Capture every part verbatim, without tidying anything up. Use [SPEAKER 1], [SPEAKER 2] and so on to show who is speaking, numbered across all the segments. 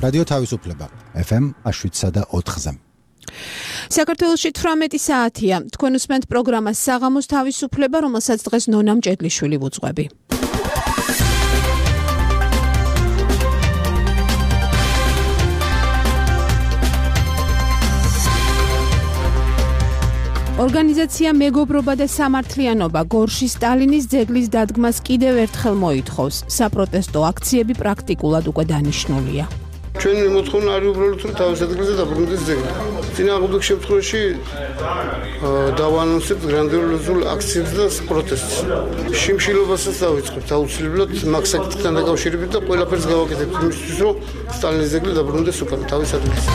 [SPEAKER 1] რადიო თავისუფლება ეფ ემ შვიდსა და ოთხზე.
[SPEAKER 2] საქართველოში თვრამეტი საათია. თქვენ უსმენთ პროგრამას საღამოს თავისუფლება, რომელსაც დღეს ნონა მჭედლიშვილი ვუძღვები. ორგანიზაცია მეგობრობა და სამართლიანობა გორში სტალინის ძეგლის დადგმას კიდევ ერთხელ მოითხოვს. საპროტესტო აქციები პრაქტიკულად უკვე დანიშნულია.
[SPEAKER 3] ჩვენი მოთხოვნა არის უბრალოდ რომ თავის ადგილზე დაბრუნდეს ძეგლი. წინააღმდეგ შემთხვევაში დავანონსებთ გრანდიოზულ აქციებს და პროტესტს. შიმშილობასაც დავიწყებთ აუცილებლად მაგ საკითხთან დაკავშირებით და ყველაფერს გავაკეთებთ იმისთვის, რომ სტალინის ძეგლი დაბრუნდეს უკან თავის ადგილზე.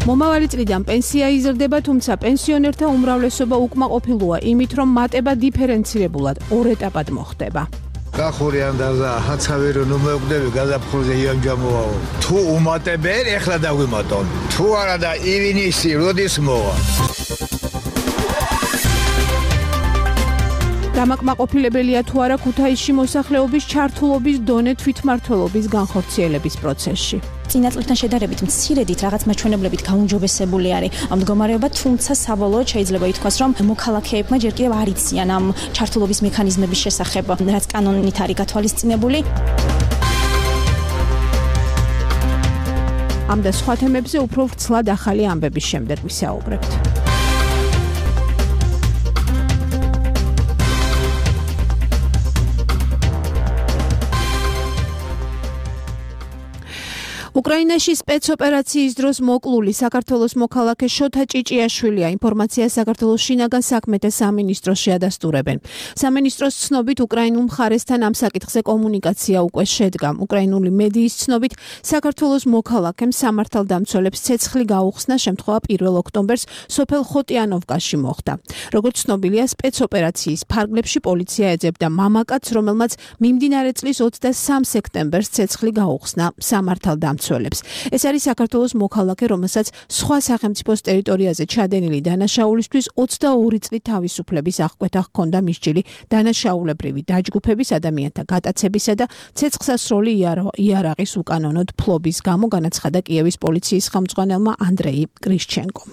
[SPEAKER 2] მომავალი წლიდან პენსია იზრდება, თუმცა პენსიონერთა უმრავლესობა უკმაყოფილოა იმით, რომ მატება დიფერენცირებულად ორ ეტაპად მოხდება.
[SPEAKER 4] გახურიან და ჰაცავი რომ მოგვდები გაზაფხულზე იანჯამოაო. თუ უმატებენ, ეხლა დაგვიმატონ. თუ არა და ივნისი როდის მოვა.
[SPEAKER 2] დამაკმაყოფილებელია თუ არა ქუთაისში მოსახლეობის ჩართულობის დონე თვითმმართველობის განხორციელების პროცესში.
[SPEAKER 5] წინა წლთან შედარებით მცირედით რაღაც მაჩვენებლებით გაუმჯობესებული არის ამ მდგომარეობა, თუმცა საბოლოოდ შეიძლება ითქვას, რომ მოქალაქეებმა ჯერ კიდევ არ იციან ამ ჩართულობის მექანიზმების შესახებ, რაც კანონით არის გათვალისწინებული. ამ და სხვა თემებზე უფრო ვრცლად ახალი ამბების შემდეგ ვისაუბრებთ. უკრაინაში სპეცოპერაციის დროს მოკლული საქართველოს მოქალაქე შოთა ჭიჭიაშვილია. ინფორმაცია საქართველოს შინაგან საქმეთა სამინისტროს შეადასტურებენ. სამინისტროს ცნობით უკრაინულ მხარესთან ამ საკითხზე კომუნიკაცია უკვე შედგა. უკრაინული მედიის ცნობით საქართველოს მოქალაქემ სამართალდამცველებს ცეცხლი გაუხსნა, შემთხვევა პირველ ოქტომბერს სოფელ ხოტიანოვკაში მოხდა. როგორც ცნობილია, სპეცოპერაციის ფარგლებში პოლიცია ეძებდა მამაკაცს, რომელმაც მიმდინარე წლის ოცდასამ სექტემბერს ცეცხლი გაუხსნა სამართალდამცველებს. ეს არის საქართველოს მოქალაქე, რომელსაც სხვა სახელმწიფოს ტერიტორიაზე ჩადენილი დანაშაულისთვის ოცდაორი წლით თავისუფლების აღკვეთა ჰქონდა მისჯილი დანაშაულებრივი დაჯგუფების, ადამიანთა გატაცებისა და ცეცხლსასროლი იარაღის უკანონოდ ფლობის გამო, განაცხადა კიევის პოლიციის ხელმძღვანელმა ანდრეი კრიშჩენკომ.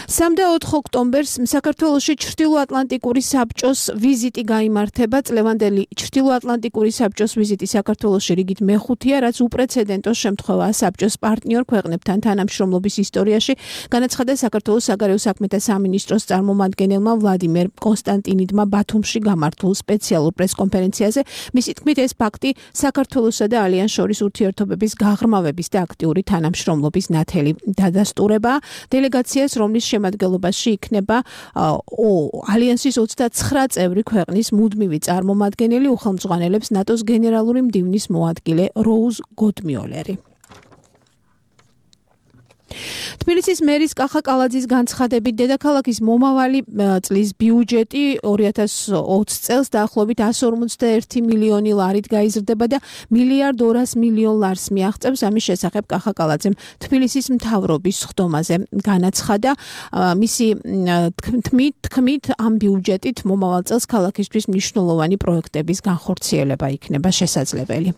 [SPEAKER 5] სამ და ოთხ ოქტომბერს საქართველოში ჩრდილოატლანტიკური საბჭოს ვიზიტი გაიმართება. წლევანდელი ჩრდილოატლანტიკური საბჭოს ვიზიტი საქართველოში რიგით მეხუთეა, რაც უპრეცედენტო შემთხვევაა საბჭოს პარტნიორ ქვეყნებთან თანამშრომლობის ისტორიაში, განაცხადა საქართველოს საგარეო საქმეთა სამინისტროს წარმომადგენელმა ვლადიმერ კონსტანტინიდმა ბათუმში გამართულ სპეციალურ პრესკონფერენციაზე. მისი თქმით, ეს ფაქტი საქართველოსა და ალიანს შორის ურთიერთობების გაღრმავების და აქტიური თანამშრომლობის ნათელი დადასტურებაა. დელეგაციას, რომლის შემადგენლობაში იქნება ალიანსის ოცდაცხრა წევრი ქვეყნის მუდმივი წარმომადგენელი, უხელმძღვანელებს ნატოს გენერალური მდივნის მოადგილე როუზ გოდმიოლერი. თბილისის მერის კახა კალაძის განცხადებით, დედაქალაქის მომავალი წლის ბიუჯეტი ორი ათას ოცი წელს დაახლოებით εκατს ორმოცდაერთი მილიონი ლარით გაიზრდება და მილიარდ ორას მილიონ ლარს მიაღწევს. ამის შესახებ კახა კალაძემ თბილისის მთავრობის სხდომაზე განაცხადა. მისი თქმით, თქმით ამ ბიუჯეტით მომავალ წელს ქალაქისთვის მნიშვნელოვანი პროექტების განხორციელება იქნება შესაძლებელი.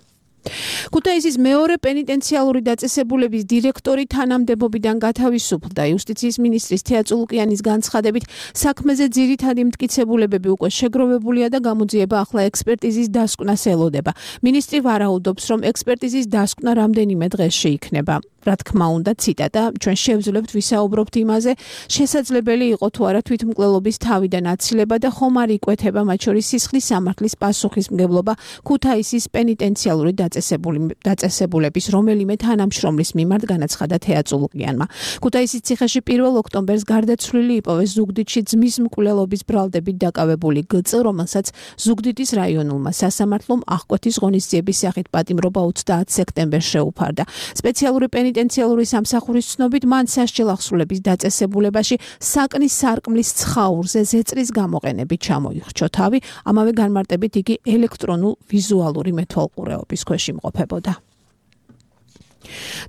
[SPEAKER 5] ქუთაისის მეორე პენიტენციალური დაწესებულების დირექტორი თანამდებობიდან გათავისუფლდა. იუსტიციის მინისტრის თეა წულუკიანის განცხადებით, საქმეზე ძირითადი მტკიცებულებები უკვე შეგროვებულია და გამოძიება ახლა ექსპერტიზის დასკვნას ელოდება. მინისტრი ვარაუდობს, რომ ექსპერტიზის დასკვნა რამდენიმე დღეში იქნება. რა თქმა უნდა, ციტატა, ჩვენ შევძლებთ ვისაუბრობთ იმაზე, შესაძლებელი იყო თუ არა თვითმკვლელობის თავიდან აცილება და ხომ არ იკვეთება მათ შორის სისხლის სამართლის პასუხისმგებლობა ქუთაისის პენიტენციალური დაწესებულების რომელიმე თანამშრომლის მიმართ, განაცხადა თეა წულუკიანმა. ქუთაისის ციხეში პირველ ოქტომბერს გარდაცვლილი იპოვეს ზუგდიდში ძმის მკვლელობის ბრალდებით დაკავებული გწ, რომელსაც ზუგდიდის რაიონულმა სასამართლომ აღკვეთის ღონისძიების სახით პატიმრობა ოცდაათ სექტემბერს შეუფარდა. სპეციალური პენიტენციალური სამსახურის ცნობით, მან სასჯელ ახსრულების დაწესებულებაში საკნის სარკმლის ცხაურზე ზეწრის გამოყენებით ჩამოიხრჩო თავი, ამავე განმარტებით იგი ელექტრონულ ვიზუალური მეთვალყურეობის ქვეშ იმყოფებოდა.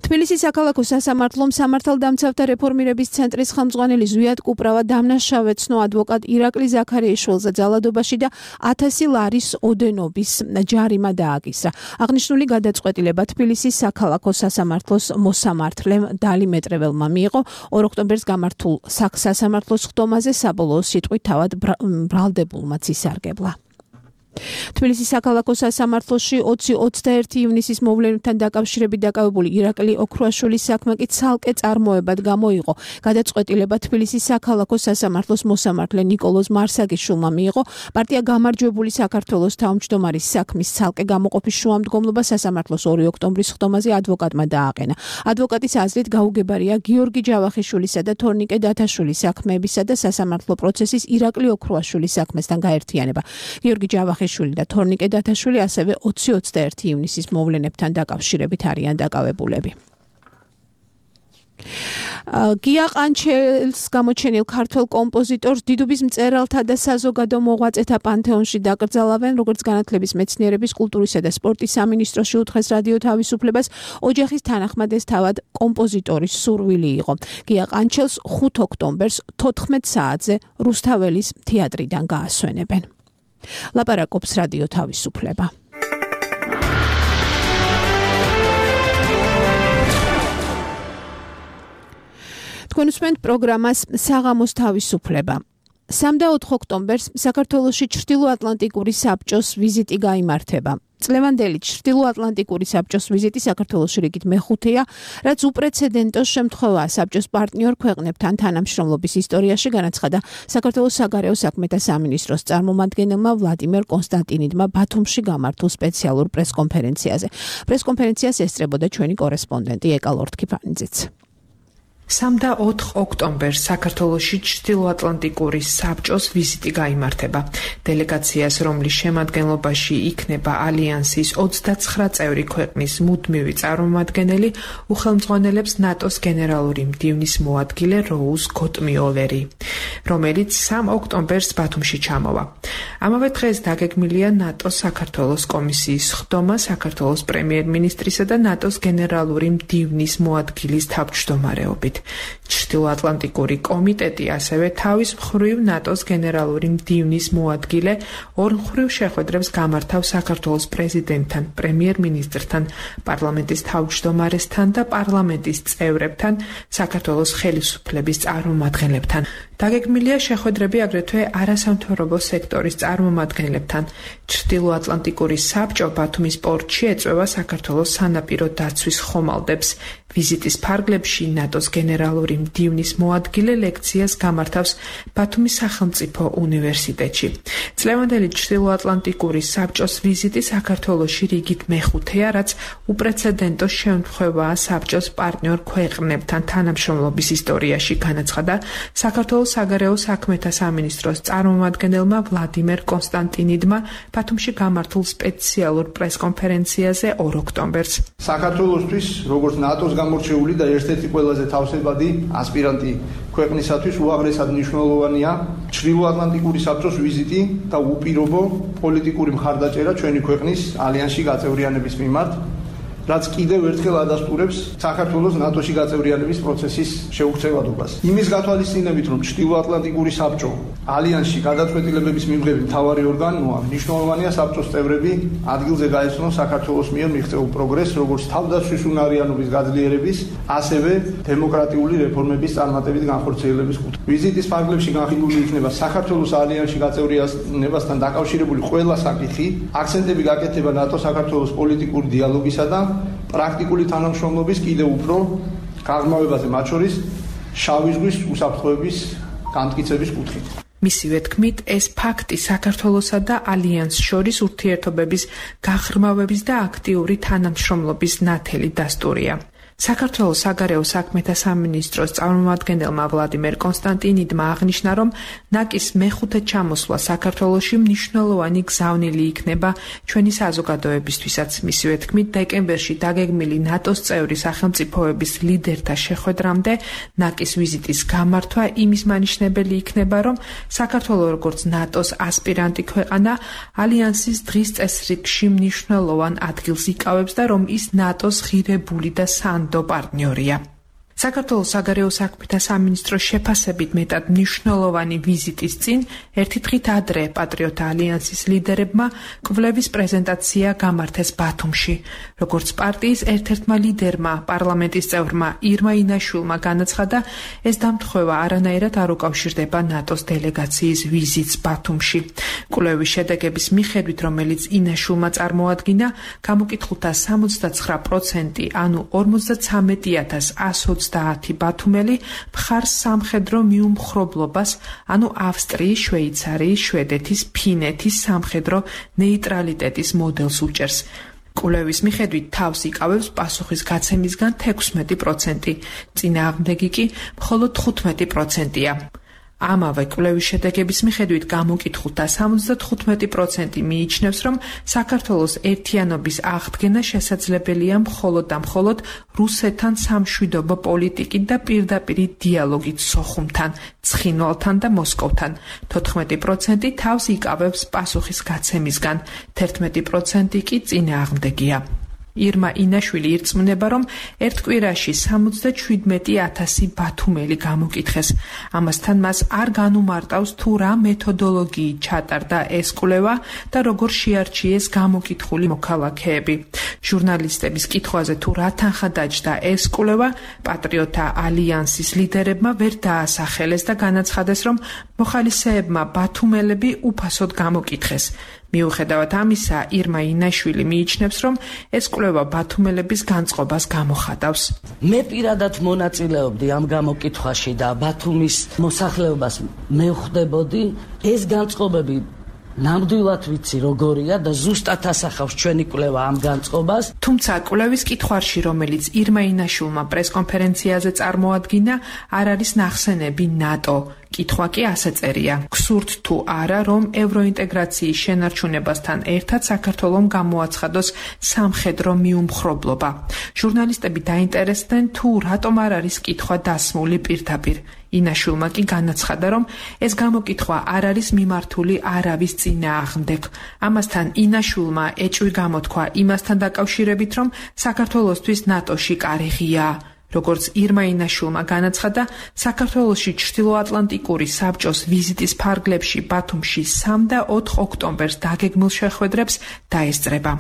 [SPEAKER 5] თბილისის საქალაქო სასამართლომ სამართალდამცავთა რეფორმირების ცენტრის ხელმძღვანელი ზვიად კუპრავა დამნაშავე ცნო ადვოკატ ირაკლი ზაქარიაშვილზე ძალადობაში და ათასი ლარის ოდენობის ჯარიმა დააკისრა. აღნიშნული გადაწყვეტილება თბილისის საქალაქო სასამართლოს მოსამართლემ დალი მეტრეველმა მიიღო. ორ ოქტომბერს გამართულ სასამართლოს ხდომაზე საბოლოო სიტყვით თავად ბრალდებულმაც ისარგებლა. თბილისის საქალაქო სასამართლოში ოცი ოცდაერთი ივნისის მოვლენებთან დაკავშირებით დაკავებული ირაკლი ოქრუაშვილის საქმე კი ცალკე წარმოებად გამოიყო. გადაწყვეტილება თბილისის საქალაქო სასამართლოს მოსამართლე ნიკოლოზ მარსაგიშვილმა მიიღო. პარტია გამარჯვებული საქართველოს თავმჯდომარის საქმის ცალკე გამოყოფის შუამდგომლობა სასამართლოს ორი ოქტომბრის ხდომაზე ადვოკატმა დააყენა. ადვოკატის აზრით გაუგებარია გიორგი ჯავახიშვილისა და თორნიკე დათაშვილის საქმეებისა და სასამართლო პროცესის ირაკლი ოქრუაშვილის საქმესთან გაერთიანება. გიორგი ჯავახიშვილი და თორნიკე დათაშვილი ასევე ოცი ოცდაერთი ივნისის მოვლენებთან დაკავშირებით არიან დაკავებულები. გია ყანჩელს გამოჩენილ ქართველ კომპოზიტორს დიდუბის მწერალთა და საზოგადო მოღვაწეთა პანთეონში დაკრძალავენ, როგორც განათლების, მეცნიერების, კულტურისა და სპორტის სამინისტროში უთხრეს რადიო თავისუფლებას. ოჯახის თანახმადეს თავად კომპოზიტორის სურვილი იყო. გია ყანჩელს ხუთ ოქტომბერს თოთხმეტ საათზე რუსთაველის თეატრიდან გაასვენებენ. ლაპარაკობს რადიო თავისუფლება. თქვენ უსმენთ პროგრამას საღამოს თავისუფლება. სამი და ოთხი ოქტომბერს საქართველოში ჩრდილოატლანტიკური საბჭოს ვიზიტი გაიმართება. წლევანდელი ჩრდილოატლანტიკური საბჭოს ვიზიტი საქართველოში რიგით მეხუთეა, რაც უპრეცედენტო შემთხვევაა საბჭოს პარტნიორ ქვეყნებთან თანამშრომლობის ისტორიაში, განაცხადა საქართველოს საგარეო საქმეთა სამინისტროს წარმომადგენელმა ვლადიმერ კონსტანტინიდმა ბათუმში გამართულ სპეციალურ პრესკონფერენციაზე. პრესკონფერენციას ესწრებოდა ჩვენი კორესპონდენტი ეკა ლორთქიფანიძეც.
[SPEAKER 6] სამი და ოთხი ოქტომბერს საქართველოში ჩრდილოატლანტიკური საბჭოს ვიზიტი გაიმართება. დელეგაციას, რომლის შემადგენლობაში იქნება ალიანსის ოცდაცხრა წევრი ქვეყნის მუდმივი წარმომადგენელი, უხელმძღვანელებს ნატოს გენერალური მდივნის მოადგილე როუზ გოტმიოლერი, რომელიც სამი ოქტომბერს ბათუმში ჩამოვა. ამავე დღეს დაგეგმილია ნატოს საქართველოს კომისიის ხდომა საქართველოს პრემიერ-მინისტრისა და ნატოს გენერალური მდივნის მოადგილის თავმჯდომარეობით. ჩრდილოატლანტიკური კომიტეტი ასევე თავის მხრივ ნატოს გენერალური მდივნის მოადგილე ორმხრივ შეხვედრებს გამართავს საქართველოს პრეზიდენტთან, პრემიერ-მინისტრთან, პარლამენტის თავმჯდომარესთან და პარლამენტის წევრებთან, საქართველოს ხელისუფლების წარმომადგენლებთან. დაგეგმილია შეხვედრები აგრეთვე არასამთავრობო სექტორის წარმომადგენლებთან. ჩრდილოატლანტიკური საბჭო ბათუმის პორტში ეწვევა საქართველოს სანაპირო დაცვის ხომალდებს. ვიზიტის ფარგლებში ნატოს გენერალური მდივნის მოადგილე ლექციას გამართავს ბათუმის სახელმწიფო უნივერსიტეტში. წლევანდელი ჩრდილოატლანტიკური საბჭოს ვიზიტი საქართველოში რიგით მეხუთეა, რაც უპრეცედენტო შემთხვევაა საბჭოს პარტნიორ ქვეყნებთან თანამშრომლობის ისტორიაში, განაცხადა საქართველოს საგარეო საქმეთა სამინისტროს წარმომადგენელმა ვლადიმერ კონსტანტინიდმა ბათუმში გამართულ სპეციალურ პრესკონფერენციაზე ორ ოქტომბერს.
[SPEAKER 7] საქართველოსთვის, როგორც ნატოს გამორჩეული და ერთ-ერთი ყველაზე თავსებადი ასპირანტი ქვეყნისათვის უაღრესად მნიშვნელოვანია ჩრდილოატლანტიკური საბჭოს ვიზიტი და უპირობო პოლიტიკური მხარდაჭერა ჩვენი ქვეყნის ალიანსში გაწევრიანების მიმართ, რაც კიდევ ერთხელ ადასტურებს საქართველოს ნატოში გაწევრიანების პროცესის შეუღწევადობას. იმის გათვალისწინებით, რომ ჩრდილოატლანტიკური საბჭო ალიანსში გადაწყვეტილებების მიღების მთავარი ორგანოა, მნიშვნელოვანია საბჭოს წევრები ადგილზე გაეცნონ საქართველოს მიერ მიღწეულ პროგრესს, როგორც თავდაცვის უნარიანობის გაძლიერების, ასევე დემოკრატიული რეფორმების წარმატებით განხორციელების კუთხე. ვიზიტის ფარგლებში განხილული იქნება საქართველოს ალიანსში გაწევრიანებასთან დაკავშირებული ყველა საკითხი, აქცენტები გაკეთება ნატო-საქართველოს პოლიტიკური დიალოგისა და პრაქტიკული თანამშრომლობის კიდევ უფრო გაღრმავებაზე, მათ შორის შავი ზღვის უსაფრთხოების განმტკიცების კუთხით.
[SPEAKER 6] მისივე თქმით, ეს ფაქტი საქართველოსა და ალიანსს შორის ურთიერთობების გაღრმავების და აქტიური თანამშრომლობის ნათელი დასტურია. საქართველოს საგარეო საქმეთა სამინისტროს წარმომადგენელმა ვლადიმერ კონსტანტინიდმა აღნიშნა, რომ ნაკის მეხუთე ჩამოსვლა საქართველოში მნიშვნელოვანი გზავნილი იქნება ჩვენი საზოგადოებისთვისაც. მისივე თქმით, დეკემბერში დაგეგმილი ნატოს წევრი სახელმწიფოების ლიდერთა შეხვედრამდე ნაკის ვიზიტის გამართვა იმის მანიშნებელი იქნება, რომ საქართველო როგორც ნატოს ასპირანტი ქვეყანა ალიანსის დღის წესრიგში მნიშვნელოვან ადგილს იკავებს და რომ ის ნატოს ღირებული და სანდო პარტნიორია. საქართველოს საგარეო საქმეთა სამინისტროს შეფასებით მეტად მნიშვნელოვანი ვიზიტის წინ ერთი დღით ადრე პატრიოტთა ალიანსის ლიდერებმა კვლევის პრეზენტაცია გამართეს ბათუმში. როგორც პარტიის ერთ-ერთმა ლიდერმა, პარლამენტის წევრმა ირმა ინაშვილმა განაცხადა, ეს დამთხევა არანაირად არ უკავშირდება ნატოს დელეგაციის ვიზიტს ბათუმში. კვლევის შედეგების მიხედვით, რომელიც ინაშვილმა წარმოადგინა, გამოკითხულთა სამოცდაცხრა პროცენტი, ანუ ორმოცდაცამეტი ათას ასი ოცდაათი ბათუმელი მხარს სამხედრო მიუმხრობლობას, ანუ ავსტრიის, შვეიცარიის, შვედეთის, ფინეთის სამხედრო ნეიტრალიტეტის მოდელს უჭერს. კვლევის მიხედვით თავს იკავებს პასუხის გაცემისგან თექვსმეტი პროცენტი, წინააღმდეგი კი მხოლოდ თხუთმეტი პროცენტია. ამავე კვლევის შედეგების მიხედვით გამოკითხულთა სამოცდათხუთმეტი პროცენტი მიიჩნევს, რომ საქართველოს ერთიანობის აღდგენა შესაძლებელია მხოლოდ და მხოლოდ რუსეთთან სამშვიდობო პოლიტიკით და პირდაპირი დიალოგით სოხუმთან, ცხინვალთან და მოსკოვთან. თოთხმეტი პროცენტი თავს იკავებს პასუხის გაცემისგან, თერთმეტი პროცენტი კი წინააღმდეგია. ირმა ინაშვილი ირწმუნება, რომ ერთ კვირაში სამოცდაშვიდმეტი ათასი ბათუმელი გამოკითხეს. ამასთან მას არ განუმარტავს თუ რა მეთოდოლოგიით ჩატარდა ეს კვლევა და როგორ შეარჩიეს გამოკითხული მოქალაქეები. ჟურნალისტების კითხვაზე თუ რა თანხა დაჯდა ეს კვლევა, პატრიოტთა ალიანსის ლიდერებმა ვერ დაასახელეს და განაცხადეს, რომ მოხალისეებმა ბათუმელები უფასოდ გამოკითხეს. მიუხედავად ამისა, ირმა ინაშვილი მიიჩნევს, რომ ეს კვლევა ბათუმელების განწყობას გამოხატავს.
[SPEAKER 8] მე პირადად მონაწილეობდი ამ გამოკითხვაში და ბათუმის მოსახლეობას მევხვდებოდი, ეს განწყობები ნამდვილად ვიცი როგორია და ზუსტად ასახავს ჩვენი კვლევა ამ განწყობას.
[SPEAKER 6] თუმცა კვლევის კითხვარში, რომელიც ირმა ინაშვილმა პრესკონფერენციაზე წარმოადგინა, არ არის ნახსენები ნატო. კითხვა კი ასე წერია: გსურთ თუ არა, რომ ევროინტეგრაციის შენარჩუნებასთან ერთად საქართველომ გამოაცხადოს სამხედრო მიუმხრობლობა. ჟურნალისტები დაინტერესდნენ, თუ რატომ არ არის კითხვა დასმული პირდაპირ. ინაშვილმა კი განაცხადა, რომ ეს გამოკითხვა არ არის მიმართული არავის წინააღმდეგ. ამასთან ინაშვილმა ეჭვი გამოთქვა იმასთან დაკავშირებით, რომ საქართველოსთვის ნატოში კარი ღიაა. როგორც ირმა ინაშვილმა განაცხადა, საქართველოში ჩრდილოატლანტიკური საბჭოს ვიზიტის ფარგლებში ბათუმში სამი და ოთხი ოქტომბერს დაგეგმილ შეხვედრებს დაესწრება.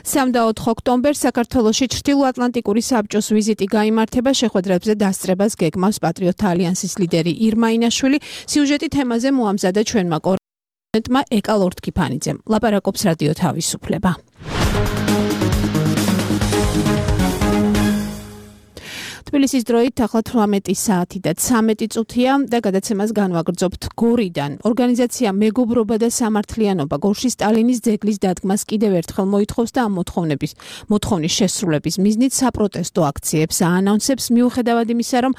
[SPEAKER 2] სამი და ოთხი ოქტომბერს საქართველოში ჩრდილოატლანტიკური საბჭოს ვიზიტი გაიმართება, შეხვედრებზე დასწრებას გეგმავს პატრიოტთა ალიანსის ლიდერი ირმა ინაშვილი. სიუჟეტი თემაზე მოამზადა ჩვენმა კორესპონდენტმა ეკა ლორთქიფანიძემ. ლაპარაკობს რადიო თავისუფლება. თბილისის დროით ახლა თვრამეტი საათი და ცამეტი წუთია და გადაცემას განვაგრძობთ გორიდან. ორგანიზაცია მეგობრობა და სამართლიანობა გორში სტალინის ძეგლის დადგმას კიდევ ერთხელ მოითხოვს და ამ მოთხოვნების მოთხოვნის შესრულების მიზნით საპროტესტო აქციებს აანონსებს, მიუხედავად იმისა, რომ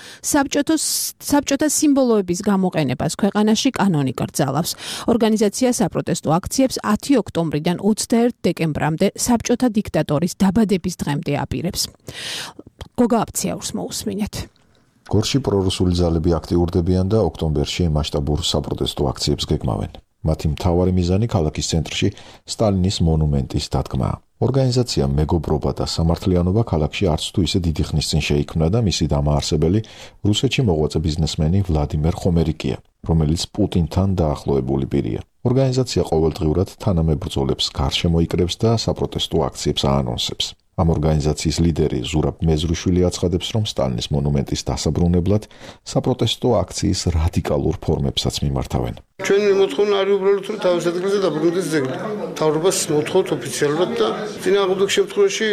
[SPEAKER 2] საბჭოთა სიმბოლოების გამოყენებას ქვეყანაში კანონი კრძალავს. ორგანიზაცია საპროტესტო აქციებს ათი ოქტომბრიდან ოცდაერთი დეკემბრამდე საბჭოთა დიქტატორის დაბადების დღემდე აპირებს. გოგა აფციაურს მოусმინეთ.
[SPEAKER 9] გორში პრორუსული ძალები აქტიურდებიან და ოქტომბერში მასშტაბურ საპროტესტო აქციებს გეგმავენ. მათი მთავარი მიზანი ქალაქის ცენტრში სტალინის მონუმენტის დადგმაა. ორგანიზაცია მეგობრობა და სამართლიანობა ქალაქში არც თუ ისე დიდი ხნის წინ შეიქმნა და მისი დამაარსებელი რუსეთში მოღვაწე ბიზნესმენი ვლადიმერ ხომერიკია, რომელიც პუტინთან დაახლოებული პირია. ორგანიზაცია ყოველდღიურად თანამებრძოლებს გარშემო იკრებს და საპროტესტო აქციებს აანონსებს. ამ ორგანიზაციის ლიდერი ზურაბ მეზრუშვილი აცხადებს, რომ სტალინის მონუმენტის დასაბრუნებლად საპროტესტო აქციის რადიკალურ ფორმებსაც მიმართავენ.
[SPEAKER 3] ჩვენი მოთხოვნა არის უბრალოდ რომ თავის ადგილზე დაბრუნდეს ძეგლი. მთავრობას მოთხოვთ ოფიციალურად და წინააღმდეგ შემთხვევაში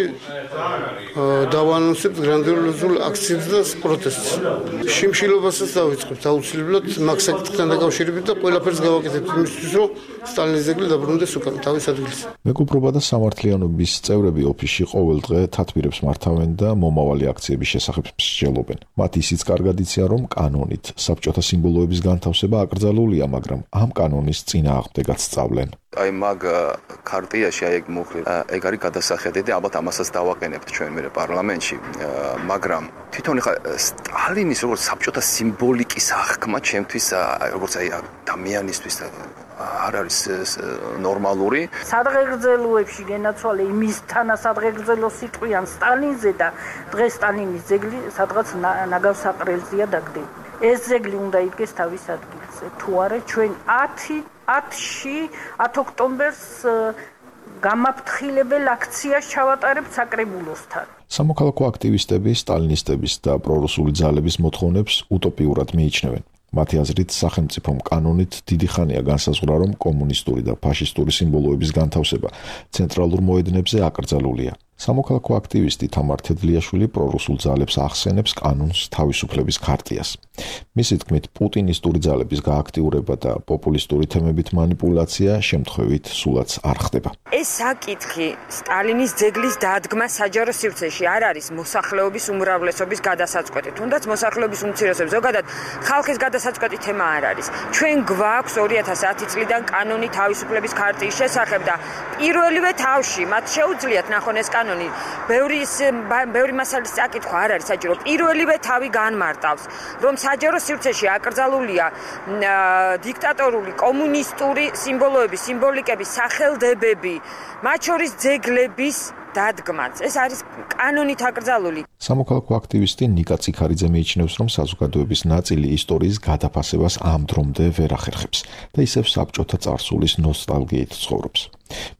[SPEAKER 3] დავაანონსებთ გრანდიოზულ აქციებს და პროტესტს. შიმშილობასაც დავიწყებთ აუცილებლად მაგ საკითხთან დაკავშირებით და ყველაფერს გავაკეთებთ იმისთვის რომ სტალინის ძეგლი დაბრუნდეს უკან თავის ადგილზე.
[SPEAKER 9] მეგობრობა და სამართლიანობის წევრები ოფისში ყოველ დღე თათბირებს მართავენ და მომავალი აქციების შესახებ მსჯელობენ. მათ ისიც კარგად იციან, რომ კანონით საბჭოთა სიმბოლოების განთავსება აკრძალულია, მაგრამ ამ კანონის წინააღმდეგაც სწავლენ.
[SPEAKER 10] აი მაგ ქარტიაში აი ეგ მოხდა ეგ არის გადასახედი და ალბათ ამასაც დავაყენებთ ჩვენ მე პარლამენტში, მაგრამ თვითონ ხა სტალინის როგორც საბჭოთა სიმბოლიკის აღქმა ჩემთვის როგორც აი ადამიანისთვის არ არის ნორმალური.
[SPEAKER 11] სადღეგრძელოებში გენაცვალე იმისთანა სადღეგრძელოს იტყვიან სტალინზე და დღეს სტალინის ძეგლი სადღაც ნაგავსაყრელზეა დაგდები. ეს ძეგლი უნდა იდგეს თავის ადგილზე. თუ არა ჩვენ ათში ათ ოქტომბერს გამაფრთხილებელ აქციას ჩავატარებთ საკრებულოსთან.
[SPEAKER 9] სამოქალაქო აქტივისტები სტალინისტების და პრორუსული ძალების მოთხოვნებს უტოპიურად მიიჩნევენ. მათი აზრით სახელმწიფომ კანონით დიდი ხანია განსაზღვრა, რომ კომუნისტური და ფაშისტური სიმბოლოების განთავსება ცენტრალურ მოედნებზე აკრძალულია. სამოქალაქო აქტივისტი თამარ თედლიაშვილი პრორუსულ ძალებს ახსენებს კანონს თავისუფლების ქარტიას. მისი თქმით, პუტინისტური ძალების გააქტიურება და პოპულისტური თემებით მანიპულაცია შემთხვევით სულაც არ ხდება.
[SPEAKER 12] ეს საკითხი სტალინის ძეგლის დადგმა საჯარო სივრცეში არ არის მოსახლეობის უმრავლესობის გადასაწყვეტი, თუნდაც მოსახლეობის უმცირესობის ზოგადად ხალხის გადასაწყვეტი თემა არ არის. ჩვენ გვაქვს ორი ათას ათი წლიდან კანონი თავისუფლების ქარტიის შესახებ და პირველივე თავში მათ შეუძლიათ ნახონ ეს კანონი ბევრი ბევრი მასალის წაკითხვა არ არის საჭირო. პირველივე თავი განმარტავს, რომ საჯარო სივრცეში აკრძალულია დიქტატორული კომუნისტური სიმბოლოების, სიმბოლიკების სახელდებები, მათ შორის ძეგლების დადგმაც. ეს არის კანონით აკრძალული.
[SPEAKER 9] სამოქალაქო აქტივისტი ნიკა ციქარიძე მიიჩნევს, რომ საზოგადოების ნაწილი ისტორიის გადაფასებას ამ დრომდე ვერ ახერხებს და ისევ საბჭოთა წარსულის ნოსტალგიით ცხოვრობს.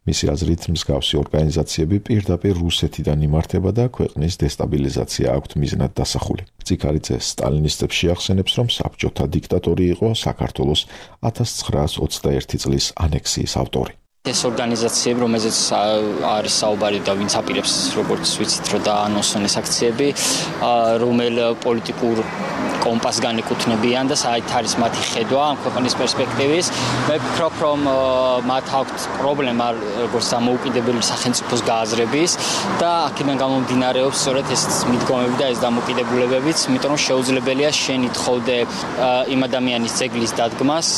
[SPEAKER 9] მისი აზრით, მსგავსი ორგანიზაციები პირდაპირ რუსეთიდან იმართება და ქვეყნის დესტაბილიზაცია აქვთ მიზნად დასახული. ციქარიძე სტალინისტებს შეახსენებს, რომ საბჭოთა დიქტატორი იყო საქართველოს ათას ცხრაას ოცდაერთი წლის ანექსიის ავტორი.
[SPEAKER 13] ეს ორგანიზაციები, რომელზეც არის საუბარი და ვინც აპირებს, როგორც ვიცით, რომ დაანონსონ ეს აქციები, რომელ პოლიტიკურ კომპასს განეკუთვნებიან და საით არის მათი ხედვა ამ ქვეყნის პერსპექტივის. მე ვფიქრობ, რომ მათ აქვთ პრობლემა როგორც დამოუკიდებელი სახელმწიფოს გააზრების და აქედან გამომდინარეობს სწორედ ეს მიდგომები და ეს დამოუკიდებულებებიც, იმიტომ რომ შეუძლებელია შენ ითხოვდე იმ ადამიანის ძეგლის დადგმას,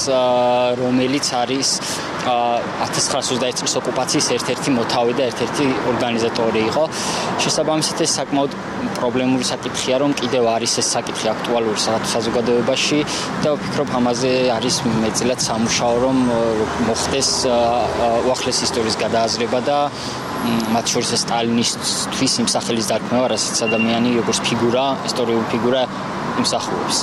[SPEAKER 13] რომელიც არის ათას ცხრაას ოცდაერთი წლის ოკუპაციის ერთ-ერთი მოთავე და ერთ-ერთი ორგანიზატორი იყო. შესაბამისად ეს საკმაოდ პრობლემური საკითხია, რომ კიდევ არის ეს საკითხი აქტუალური საზოგადოებაში და ვფიქრობ ამაზე არის მეტწილად სამუშაო, რომ მოხდეს უახლეს ისტორიის გადააზრება და მათ შორის სტალინისტვის იმ სახელის დარქმევა, რასაც ადამიანი როგორც ფიგურა, ისტორიული ფიგურა იმსახურებს.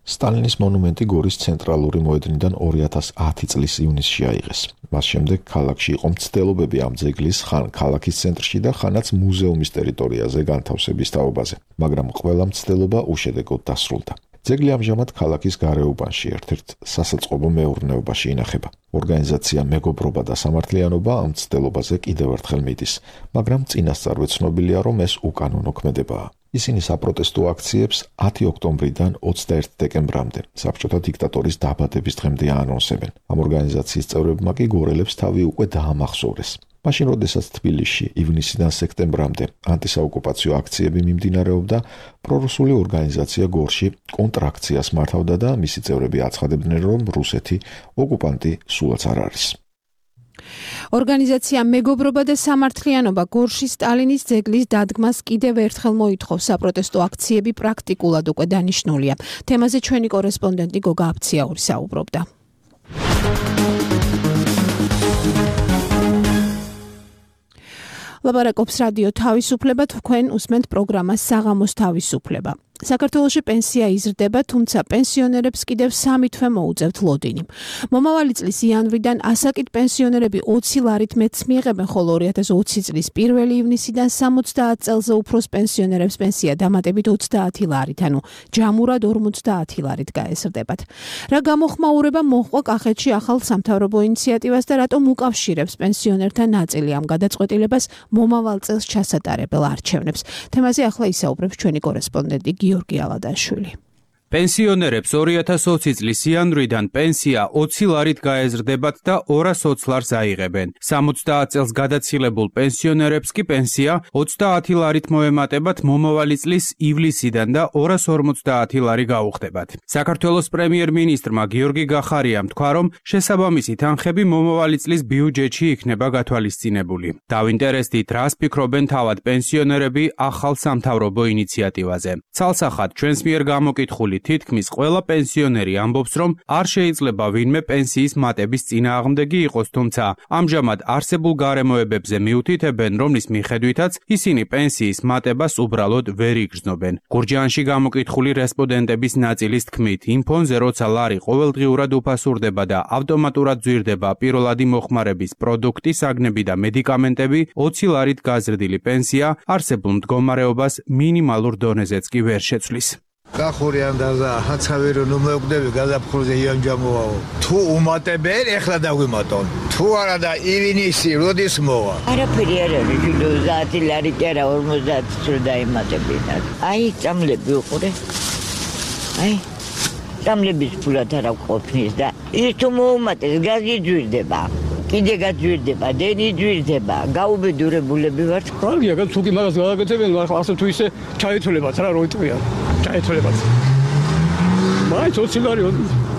[SPEAKER 9] სტალინის მონუმენტი გორის ცენტრალური მოედნიდან ორი ათას ათი წლის ივნისში აიღეს. მას შემდეგ ქალაქში იყო მცდელობები ამ ძეგლის ხან ქალაქის ცენტრში და ხანაც მუზეუმის ტერიტორიაზე განთავსების თაობაზე, მაგრამ ყველა მცდელობა უშედეგოდ დასრულდა. ძეგლი ამჟამად ქალაქის გარეუბანში ერთ-ერთ სასაწყობო მეურნეობაში ინახება. ორგანიზაცია მეგობრობა და სამართლიანობა ამ მცდელობაზე კიდევ ერთხელ მიდის, მაგრამ წინასწარვე ცნობილია, რომ ეს უკანონო ქმედებაა. ისინი საპროტესტო აქციებს ათი ოქტომბრიდან ოცდაერთი დეკემბრამდე საბჭოთა დიქტატორის დაბადების დღემდე აანონსებენ. ამ ორგანიზაციის წევრებმა კი გორელებს თავი უკვე დაამახსოვრეს. მაშინ, როდესაც თბილისში ივნისიდან სექტემბრამდე ანტისაოკუპაციო აქციები მიმდინარეობდა, პრორუსული ორგანიზაცია გორში კონტრაქციას მართავდა და მისი წევრები აცხადებდნენ, რომ რუსეთი ოკუპანტი სულაც არ არის.
[SPEAKER 2] ორგანიზაცია მეგობრობა და სამართლიანობა გორში სტალინის ძეგლის დადგმას კიდევ ერთხელ მოითხოვს. საპროტესტო აქციები პრაქტიკულად უკვე დანიშნულია. თემაზე ჩვენი კორესპონდენტი გოგა აფციაური საუბრობდა. ლაპარაკობს რადიო თავისუფლება, თქვენ უსმენთ პროგრამას საღამოს თავისუფლება. საქართველოში პენსია იზრდება, თუმცა პენსიონერებს კიდევ სამი თვე მოუწევთ ლოდინი. მომავალი წლის იანვრიდან ასაკით პენსიონერები ოცი ლარით მეტს მიიღებენ, ხოლო ორი ათას ოცი წლის პირველი ივნისიდან სამოცდაათ წელზე უფროს პენსიონერებს პენსია დამატებით ოცდაათი ლარით, ანუ ჯამურად ორმოცდაათი ლარით გაეზრდებათ. რა გამოხმაურება მოჰყვა კახეთში ახალ სამთავრობო ინიციატივას და რატომ უკავშირებს პენსიონერთა ნაწილი ამ გადაწყვეტილებას მომავალ წელს ჩასატარებელ არჩევნებს? თემაზე ახლა ისაუბრებს ჩვენი კორესპონდენტი გიორგი ალადაშვილი.
[SPEAKER 14] პენსიონერებს ორი ათას ოცი წლის იანვრიდან პენსია ოცი ლარით გაეზრდებათ და ორას ოცი ლარს აიღებენ. სამოცდაათ წელს გადაცილებულ პენსიონერებს კი პენსია ოცდაათი ლარით მოემატებათ მომავალი წლის ივლისიდან და ორას ორმოცდაათი ლარი გაუხდებათ. საქართველოს პრემიერ-მინისტრმა გიორგი გახარიამ თქვა, რომ შესაბამისი თანხები მომავალი წლის ბიუჯეტში იქნება გათვალისწინებული. დავინტერესდით, რას ფიქრობენ თავად პენსიონერები ახალ სამთავრობო ინიციატივაზე. ცალსახად ჩვენს მიერ გამოკითხული თითქმის ყველა პენსიონერი ამბობს, რომ არ შეიძლება ვინმე პენსიის მატების წინააღმდეგი იყოს, თუმცა ამჟამად არსებულ გარემოებებზე მიუთითებენ, რომლის მიხედვითაც ისინი პენსიის მატებას უბრალოდ ვერ იგრძნობენ. გურჯაანში გამოკითხული რესპონდენტების ნაწილის თქმით, იმ ფონზე, როცა ლარი ყოველდღიურად უფასურდება და ავტომატურად ძვირდება პირველადი მოხმარების პროდუქტი, საგნები და მედიკამენტები, ოცი ლარით გაზრდილი პენსია არსებულ მდგომარეობას მინიმალურ დონეზეც კი ვერ შეცვლის.
[SPEAKER 4] გახური ანდაზა ჰაცავი რომ მომეკვდები გაზაფხულზე იანჯამოაო თუ უმატებენ ეხლა დაგვიმატონ თუ არა და ივნისი როდის მოვა
[SPEAKER 15] არაფერი არ არის ოცდაათი ლარი კი არა ორმოცდაათი რო დაიმატებინათ აი წამლები უყურე აი წამლების ფულად არა ყოფნის და ის თუ მოუმატეს გაზი ძვირდება კიდე გაძვირდება დენი ძვირდება გაუბედურებულები ვართ
[SPEAKER 16] კარგია თუ კი მაგას გადაგეთებენ ახლა თუ ისე ჩაითვლებათ რა რო იტყვია ჩაითვლებათ მაინც ოცი ლარი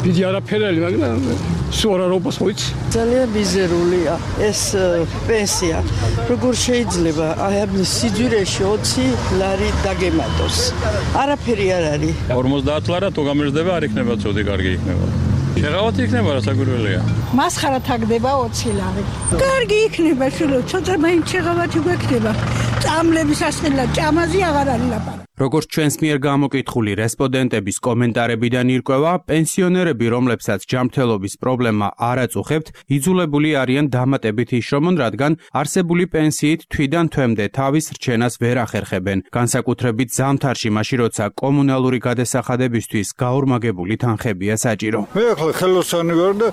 [SPEAKER 16] დიდი არაფერი მაგრამ სულ არ არის მოიც
[SPEAKER 17] ძალიან მიზერულია ეს პენსია როგორ შეიძლება აი ამ სიძვირეში ოცი ლარი დაგემატოს არაფერი არ არის
[SPEAKER 18] ორმოცდაათი ლარა თუ გამერძდება არ იქნება ცოტი კარგი იქნება შეღავათი იქნება რა საგვირველია
[SPEAKER 17] მასხარა თაგდება ოცი ლარი კარგი იქნება შულო ცოტა მაინც შეღავათი გვექნება წამლების ასელა ჭამაზი აღარ არის ლაპარაკი
[SPEAKER 14] როგორც ჩვენს მიერ გამოკითხული რესპონდენტების კომენტარებიდან ირკვევა, პენსიონერები, რომლებსაც ჯანმრთელობის პრობლემა არ აწუხებთ, იძულებული არიან დამატებით იშრომონ, რადგან არსებული პენსიით თვიდან თვემდე თავის რჩენას ვერ ახერხებენ. განსაკუთრებით ზამთარში, მაშინ როცა კომუნალური გადასახადებისთვის გაორმაგებული თანხებია საჭირო.
[SPEAKER 19] მე ახლა ხელოსანი ვარ და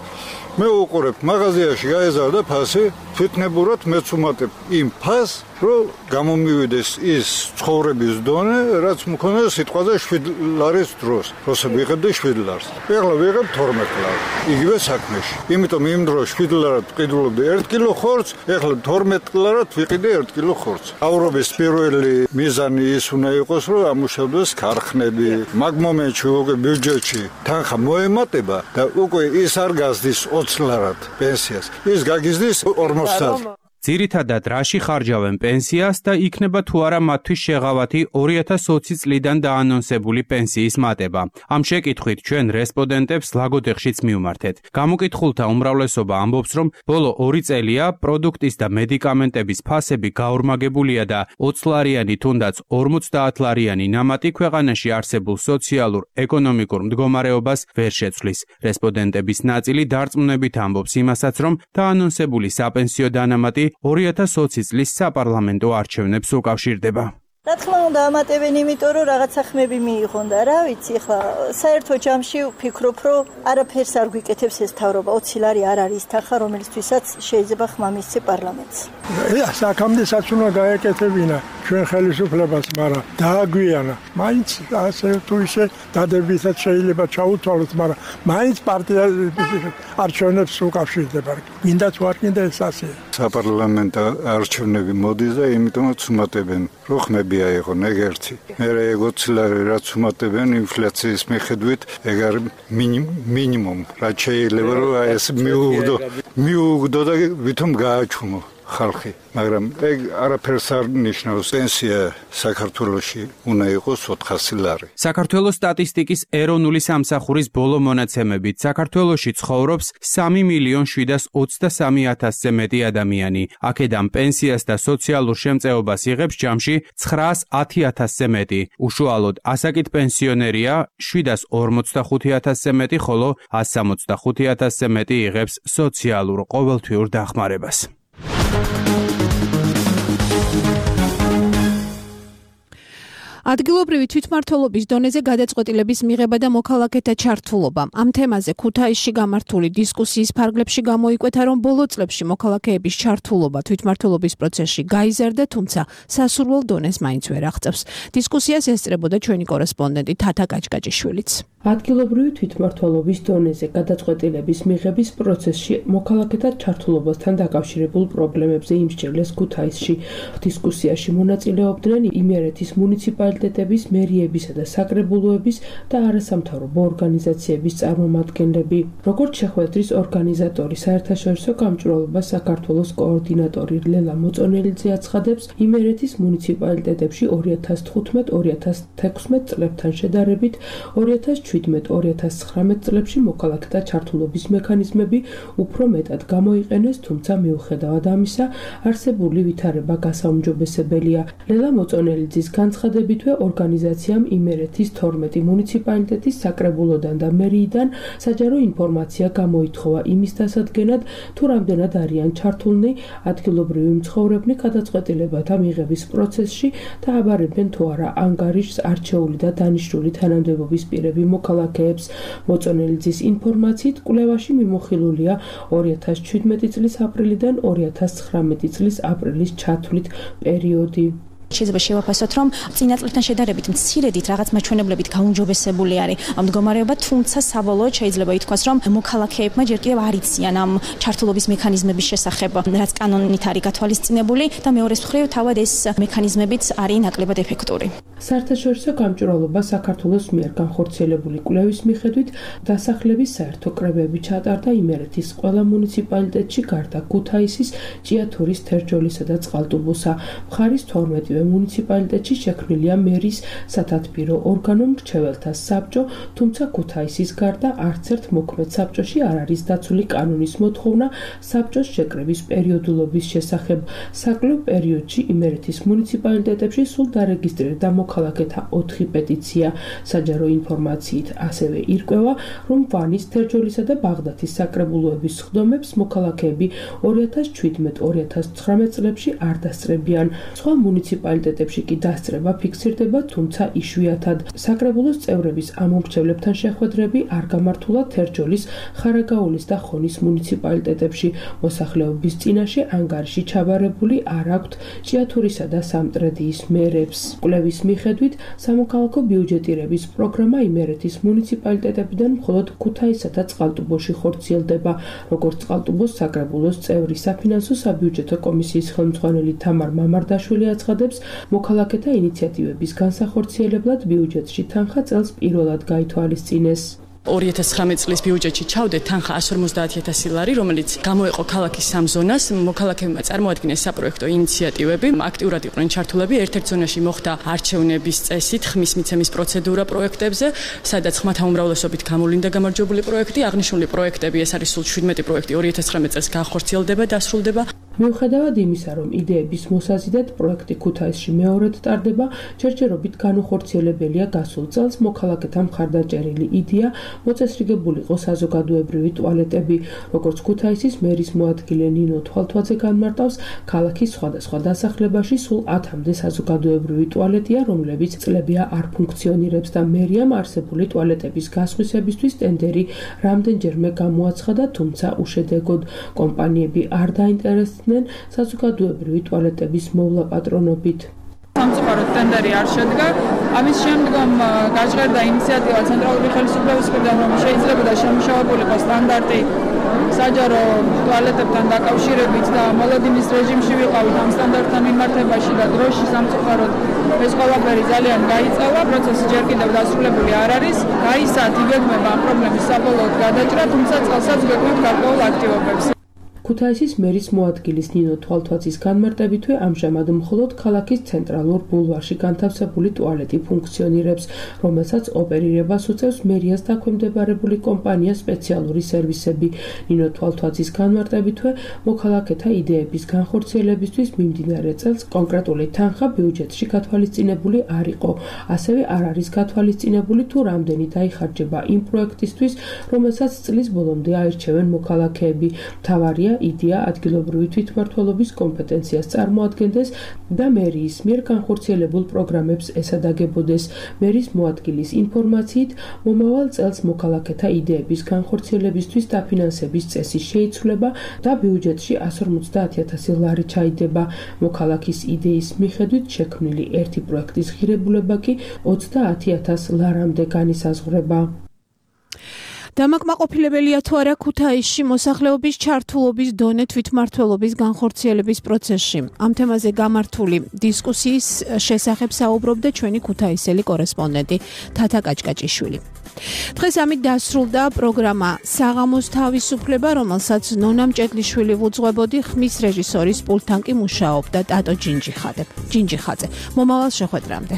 [SPEAKER 19] მე უყურებ მაღაზიაში გაეზარდა ფასი, თვითნებურად მეც უმატებ იმ ფასს, რომ გამომივიდეს ის ცხოვრების დონე, რაც მქონდა სიტყვაზე შვიდი ლარის დროს, როცა ვიღებდი შვიდი ლარს. ეხლა ვიღებ თორმეტი ლარი. იგივე საქმეში. იმიტომ იმ დროს შვიდი ლარად ვყიდულობდი ერთ კილო ხორცს, ეხლა თორმეტი ლარად ვიყიდე ერთ კილო ხორცს. აურობის პირველი მიზანი ის უნდა იყოს, რომ ამუშავდეს ქარხნები. მაგ მომენტში უკვე ბიუჯეტში თანხა მოემატება და უკვე ის არ გაზდის ოცი ლარად პენსიას. ის გაგიზდის ორმოცდაათი.
[SPEAKER 14] ძირითადად რაში ხარჯავენ პენსიას და იქნება თუ არა მათთვის შეღავათი ორი ათას ოცი წლიდან დაანონსებული პენსიის მატება. ამ შეკითხვით ჩვენ რესპონდენტებს ლაგოდეხშიც მივმართეთ. გამოკითხულთა უმრავლესობა ამბობს, რომ ბოლო ორი წელია პროდუქტის და მედიკამენტების ფასები გაორმაგებულია და ოცი ლარიანი თუნდაც ორმოცდაათი ლარიანი ნამატი ქვეყანაში არსებულ სოციალურ ეკონომიკურ მდგომარეობას ვერ შეცვლის. რესპონდენტების ნაწილი დარწმუნებით ამბობს იმასაც, რომ დაანონსებული საპენსიო დანამატი ორი ათას ოცი წლის საპარლამენტო არჩევნებს უკავშირდება.
[SPEAKER 20] რა თქმა უნდა ამატებენ იმიტომ რომ რაღაცა ხმები მიიღონ და რა ვიცი ახლა საერთო ჯამში ვფიქრობ რომ არაფერს არ გვიკეთებს ეს თავრობა ოცი ლარი არ არის თანხა რომელიცთვისაც შეიძლება ხმა მისცე პარლამენტს.
[SPEAKER 21] ია საქამდესაც უნდა გაეკეთებინა ჩვენ ხელისუფლებას მაგრამ დააგვიანა მაინც ასე თუ ისე დადებითად შეიძლება ჩაუთვალოთ მაგრამ მაინც პარტია არჩევნებს უკავშირდება. გინდა თუ არ გინდა ეს ასე.
[SPEAKER 19] საპარლამენტო არჩევნები მოდის და იმიტომაც უმატებენ რო ხმები აიღონ ეგ ერთი. მე ეგ ოცი ლარი რაც უმატებენ ინფლაციის მიხედვით ეგ არის მინიმუმ რაც შეიძლება რომ ეს მიუგდო მიუგდო და ვითომ გააჩუმო. ხალხი, მაგრამ ეგ არაფერს არ ნიშნავს. პენსია საქართველოში უნდა იყოს ოთხასი ლარი.
[SPEAKER 14] საქართველოს სტატისტიკის ეროვნული სამსახურის ბოლო მონაცემებით საქართველოში ცხოვრობს სამი მილიონ შვიდას ოცდასამი ათასზე მეტი ადამიანი. აქედან პენსიას და სოციალურ შემწეობას იღებს ჯამში ცხრაას ათი ათასზე მეტი. უშუალოდ ასაკით პენსიონერია შვიდას ორმოცდახუთი ათასზე მეტი, ხოლო ას სამოცდახუთი ათასზე მეტი იღებს სოციალურ ყოველთვიურ დახმარებას.
[SPEAKER 2] ადგილობრივი თვითმმართველობის დონეზე გადაწყვეტილების მიღება და მოქალაქეთა ჩართულობა. ამ თემაზე ქუთაისში გამართული დისკუსიის ფარგლებში გამოიკვეთა, რომ ბოლო წლებში მოქალაქეების ჩართულობა თვითმმართველობის პროცესში გაიზარდა, თუმცა სასურველ დონეს მაინც ვერ აღწევს. დისკუსიას ესწრებოდა ჩვენი კორესპონდენტი თათა კაჭკაჭიშვილიც.
[SPEAKER 1] ადგილობრივი თვითმმართველობის დონეზე გადაწყვეტილების მიღების პროცესში მოქალაქეთა ჩართულობასთან დაკავშირებულ პრობლემებზე იმსჯელეს ქუთაისში. დისკუსიაში მონაწილეობდნენ იმერეთის მუნიციპალიტეტების, მერიებისა და საკრებულოების და არასამთავრობო ორგანიზაციების წარმომადგენლები. როგორც შეხვედრის ორგანიზატორი, საერთაშორისო გამჭვირვალობა საქართველოს კოორდინატორი ლელა მოწონელიძე აცხადებს, იმერეთის მუნიციპალიტეტებში ორი ათას თხუთმეტ ორი ათას თექვსმეტ წლებთან შედარებით ორი ათას შვიდმეტ ორი ათას ცხრამეტ წლებში მოქალაქეთა ჩართულობის მექანიზმები უფრო მეტად გამოიყენეს, თუმცა მიუხედავად ამისა, არსებული ვითარება გასაუმჯობესებელია. ლელა მოწონელიძის განცხადებითვე ორგანიზაციამ იმერეთის თორმეტი მუნიციპალიტეტის საკრებულოდან და მერიიდან საჯარო ინფორმაცია გამოითხოვა იმის დასადგენად, თუ რამდენად არიან ჩართულნი ადგილობრივი მცხოვრებნი გადაწყვეტილებათა მიღების პროცესში და აბარებენ თუ არა ანგარიშს არჩეული და დანიშნული თანამდებობის პირები მოქალაქეებს. მოწონელიძის ინფორმაციით კვლევაში მიმოხილულია ორი ათას შვიდმეტი წლის აპრილიდან ორი ათას ცხრამეტი წლის აპრილის ჩათვლით პერიოდი.
[SPEAKER 22] შეიძლება შევაფასოთ, რომ წინა წლებთან შედარებით მცირედით რაღაც მაჩვენებლებით გაუმჯობესებული არის მდგომარეობა, თუმცა საბოლოოდ შეიძლება ითქვას, რომ მოქალაქეებმა ჯერ კიდევ არ იციან ამ ჩართულობის მექანიზმების შესახებ, რაც კანონით არის გათვალისწინებული და მეორეს მხრივ თავად ეს მექანიზმებიც არის ნაკლებად ეფექტური.
[SPEAKER 1] საერთაშორისო გამჭვირვალობა საქართველოს მიერ განხორციელებული კვლევის მიხედვით დასახლების საერთო კრებები ჩატარდა იმერეთის ყველა მუნიციპალიტეტში გარდა ქუთაისის, ჭიათურის, თერჯოლისა და წყალტუბოსა. მხარის თორმეტი მუნიციპალიტეტში შექმნილია მერის სათათბირო ორგანო მრჩეველთა საბჭო, თუმცა ქუთაისის გარდა არც ერთ მოქმედ საბჭოში არ არის დაცული კანონის მოთხოვნა საბჭოს შეკრების პერიოდულობის შესახებ. საკლუბ პერიოდში იმერეთის მუნიციპალიტეტებში სულ დარეგისტრირდა მოქალაქეთა ოთხი პეტიცია. საჯარო ინფორმაციით ასევე ირკვევა, რომ ვანის, თერჯოლისა და ბაღდათის საკრებულოების სხდომებს მოქალაქეები ორი ათას შვიდმეტ ორი ათას ცხრამეტ წლებში არ დასწრებიან. სხვა მუნიციპალიტეტებში მუნიციპალიტეტებში კი დასწრება ფიქსირდება, თუმცა იშვიათად. საკრებულოს წევრების ამომრჩევლებთან შეხვედრები არ გამართულა თერჯოლის, ხარაგაულის და ხონის მუნიციპალიტეტებში. მოსახლეობის წინაშე ანგარიში ჩაბარებული არ აქვთ ჭიათურისა და სამტრედიის მერებს. კვლევის მიხედვით, სამოქალაქო ბიუჯეტირების პროგრამა იმერეთის მუნიციპალიტეტებიდან მხოლოდ ქუთაისსა და წყალტუბოში ხორციელდება. როგორც წყალტუბოს საკრებულოს წევრი საფინანსო საბიუჯეტო კომისიის ხელმძღვანელი თამარ მამარდაშვილი აცხადებს, მოქალაქეთა ინიციატივების განსახორციელებლად ბიუჯეტში თანხა წელს პირველად გაითვალისწინეს.
[SPEAKER 23] ორი ათას ცხრამეტ წლის ბიუჯეტში ჩავდეთ თანხა εκατს ორმოცდაათი ათასი ლარი, რომელიც გამოეყო ქალაქის სამ ზონას. მოქალაქეებმა წარმოადგინეს საპროექტო ინიციატივები, აქტიურად იყვნენ ჩართულები. ერთ-ერთ ზონაში მოხდა არჩევნების წესით ხმის მიცემის პროცედურა პროექტებზე, სადაც ხმათა უმრავლესობით გამოვლინდა გამარჯვებული პროექტი. აღნიშნული პროექტები, ეს არის სულ შვიდმეტი პროექტი, ორი ათას ცხრამეტ წელს განხორციელდება, დასრულდება.
[SPEAKER 1] მიუხედავად იმისა, რომ იდეების მოსაზიდად პროექტი ქუთაისში მეორედ ტარდება, ჯერჯერობით განუხორციელებელია გასულ წელს მოქალაქეთა მხარდაჭერილი იდეა მოწესრიგებული იყო საზოგადოებრივი ტუალეტები. როგორც ქუთაისის მერის მოადგილე ნინო თვალთვაძე განმარტავს, ქალაქის სხვადასხვა დასახლებაში სულ ათამდე საზოგადოებრივი ტუალეტია, რომლებიც წლებია არ ფუნქციონირებს და მერიამ არსებული ტუალეტების გასხვისებისთვის ტენდერი რამდენჯერმე გამოაცხადა, თუმცა უშედეგოდ. კომპანიები არ დაინტერესდნენ საზოგადოებრივი ტუალეტების მოვლა პატრონობით.
[SPEAKER 24] სამწუხაროდ ტენდერი არ შედგა. ამის შემდგომ გაჟღერდა ინიციატივა ცენტრალური ხელისუფლების მხრიდან, რომ შეიძლებოდა შემუშავებულიყო სტანდარტი საჯარო ტუალეტებთან დაკავშირებით და მოლოდინის რეჟიმში ვიყავით ამ სტანდარტთან მიმართებაში და დროში სამწუხაროდ ეს ყველაფერი ძალიან გაიწევა, პროცესი ჯერ კიდევ დასრულებული არ არის. გაისად იგეგმება ამ პრობლემის საბოლოოდ გადაჭრა, თუმცა წელსაც გვექნებთ გარკვეულ აქტივობებს.
[SPEAKER 1] ქუთაისის მერის მოადგილის ნინო თვალთვაცის განმარტებითვე ამჟამად მხოლოდ ქალაქის ცენტრალურ ბულვარში განთავსებული ტუალეტი ფუნქციონირებს, რომელსაც ოპერირებას უწევს მერიას დაქვემდებარებული კომპანია სპეციალური სერვისები. ნინო თვალთვაცის განმარტებითვე მოქალაქეთა იდეების განხორციელებისთვის მიმდინარე წელს კონკრეტული თანხა ბიუჯეტში გათვალისწინებული არ იყო. ასევე არ არის გათვალისწინებული თუ რამდენი დაიხარჯება იმ პროექტისთვის, რომელსაც წლის ბოლომდე აირჩევენ მოქალაქეები. მთავარია იდეა ადგილობრივი თვითმმართველობის კომპეტენციას წარმოადგენდეს და მერიის მიერ განხორციელებულ პროგრამებს ესადაგებოდეს. მერის მოადგილის ინფორმაციით, მომავალ წელს მოქალაქეთა იდეების განხორციელებისთვის დაფინანსების წესი შეიცვლება და ბიუჯეტში εκατს ორმოცდაათი ათასი ლარი ჩაიდება. მოქალაქის იდეის მიხედვით შექმნილი ერთი პროექტის ღირებულება კი ოცდაათი ათას ლარამდე განისაზღვრება.
[SPEAKER 2] დამაკმაყოფილებელია თუ არა ქუთაისში მოსახლეობის ჩართულობის დონე თვითმმართველობის განხორციელების პროცესში. ამ თემაზე გამართული დისკუსიის შესახებ საუბრობდა ჩვენი ქუთაისელი კორესპონდენტი თათა კაჭკაჭიშვილი. დღეს ამით დასრულდა პროგრამა საღამოს თავისუფლება, რომელსაც ნონა მჭედლიშვილი ვუძღვებოდი, ხმის რეჟისორის პულტთან კი მუშაობდა ტატო ჯინჯიხაძე. მომავალ შეხვედრამდე.